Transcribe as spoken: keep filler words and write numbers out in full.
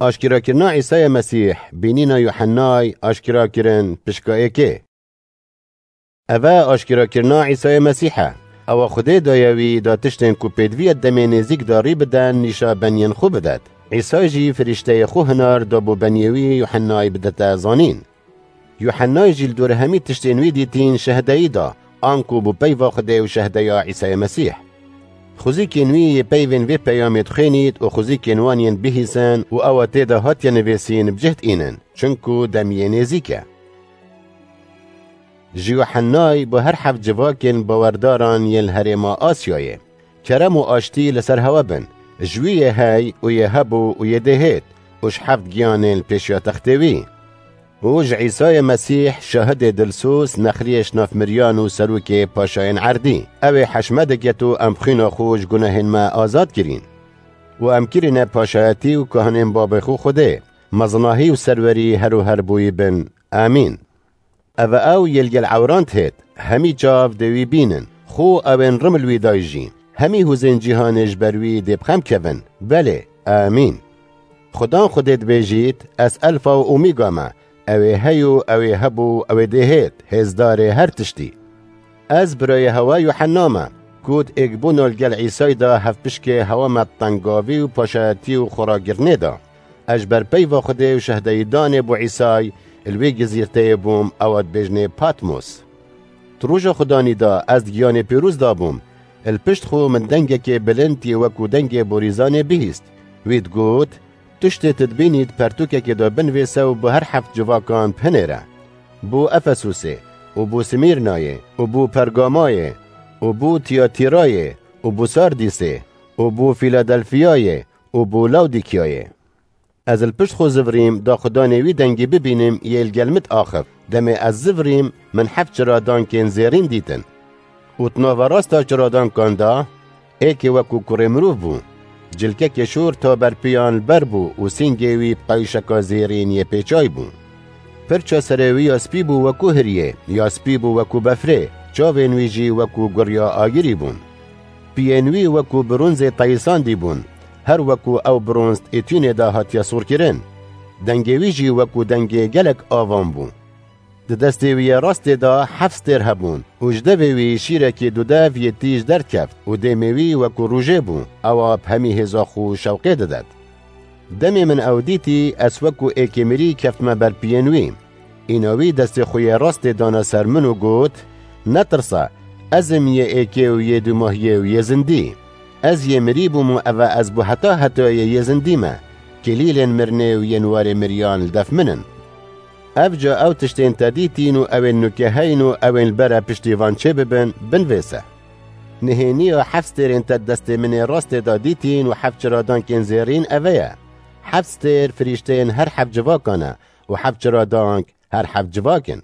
Aşkerakirina Îsayê Mesîh, bînîna Yuhennay, aşkera kirin, pişka êkê. Eve aşkerakirina Îsayê Mesîh e. Ewa Xwedê daye wî da tiştên ku pêdiviyê demê nêzîk da rî biden nîşa beniyên xwe bidet. Îsay jî firîşteyê xwe hinar da bo beniyê wî Yuhennay bidete zanîn. Yuhennay jî li dor hemî tiştên wî dîtîn şehdeyî da, anku bû peyva Xwedê û şehdeya Îsayê Mesîh. Xwezîkên wî yê peyvên vê peyamê dixwênît û xwezîkên wan yên bihîsin û ewa tê de hatiye nivîsîn bi cih diînin, çinku demiyê nêzîk e. Ji Yuhennay bo her heft civakên bawerdaran yên li herêma Asyayê. Kerem û aştî li ser hewe bin. Ji wî yê hey û yê hebû û yê dê hêt û ji heft giyanên li pêşiya textê wî. Û ji Îsayê Mesîh şahidê dilsûz, nexriyê ji nav miriyan û serokê paşayên erdî. Ew ê heşme diket û em bi xwîna xwe ji gunehên me azad kirîn. Û em kirîne paşayetî û kahinên babê xwe Xwedê. Mezinahî û serwerî her û her bo wî bin. Amîn. Eve ew yê li gel ewran dihêt, hemî çav dê wî bînin. Xwe ew ên rimil wî dayî jî. Hemî hûzên cîhanê ji ber wî dê bi xem kevin. Belê. Amîn. Xudan Xwedê dibêjît, Ez Elfa û Omîga me. Ew ê hey û ew ê hebû, ew ê dê hêt, hêzdarê her tiştî. Ez birayê hewa Yuhenna me, ku di êkbûna li gel Îsay de hevpişkê hewa me tengavî û paşayetî û xwerakirinê da. Ez ji ber peyva Xwedê û şehdeyîdanê bo Îsay li wê gizîrteyê bûm, ewa dibêjinê Patmos. Di roja Xudanî de ez di giyanê pîroz de bûm. Li pişt xwe min dengekê bilind yê wekû dengê borîzanê bihîst. Wî digot, Tiştê tu dibînî di pertûkekê de binivîse û bi her heft civakan bihinêre. Bo Efesûsê û bo Simîrnayê û bo Pergamayê û bo Tiyatîrayê û bo Sardîsê û bo Fîladelfiyayê û bo Lawdîkiyayê. Ez li pişt xwe zivirîm, da Xudanê wî dengî bibînim, yê li gel min diaxif. Demê ez zivirîm, min heft çiradankên zêrîn dîtin. Û di nava rasta çiradankan de êkê wekû kurê mirov bû. Cilkekê şor ta ber piyan li ber bû û sîngê wî bi qewîşeka zêrîn yê pêçay bû. Pirça serê wî ya spî bû wekû hiriyê, ya spî bû wekû befrê, çavên wî jî wekû guriya agirî bûn. Piyên wî wekû bronzê teyisandî bûn, her wekû ew bronz di êtûnê de hatiye sor kirin. Dengê wî jî wekû dengê gelek avan bû. Di destê wî yê rastê de heft stêr hebûn û ji devê wî şîrekî dudev yê tîj derdikeft û dêmê wî wekû rojê bû, ewa bi hemî hêza xwe şewqê didet. Demê min ew dîtî, ez wekû êkê mirî keftime ber piyên wî. Îna wî destê xwe yê rastê dana ser min û got, Netirse, ez im yê êkê û yê dûmahiyê û yê zindî. Ez yê mirî bûm û eve ez bo heta hetayê yê zindî me. Kilîlên mirinê û yên warê miriyan li def min in. Ev ca ew tiştên te dîtîn û ew ên nuke heyn û ew ên li bere piştî van çê bibin, binivîse. Nihêniya heft stêrên te di destê min ê rastê de dîtîn û heft çiradankên zêrîn eve ye. Heft stêr firîşteyên her heft civakan e û heft çiradank her heft civak in.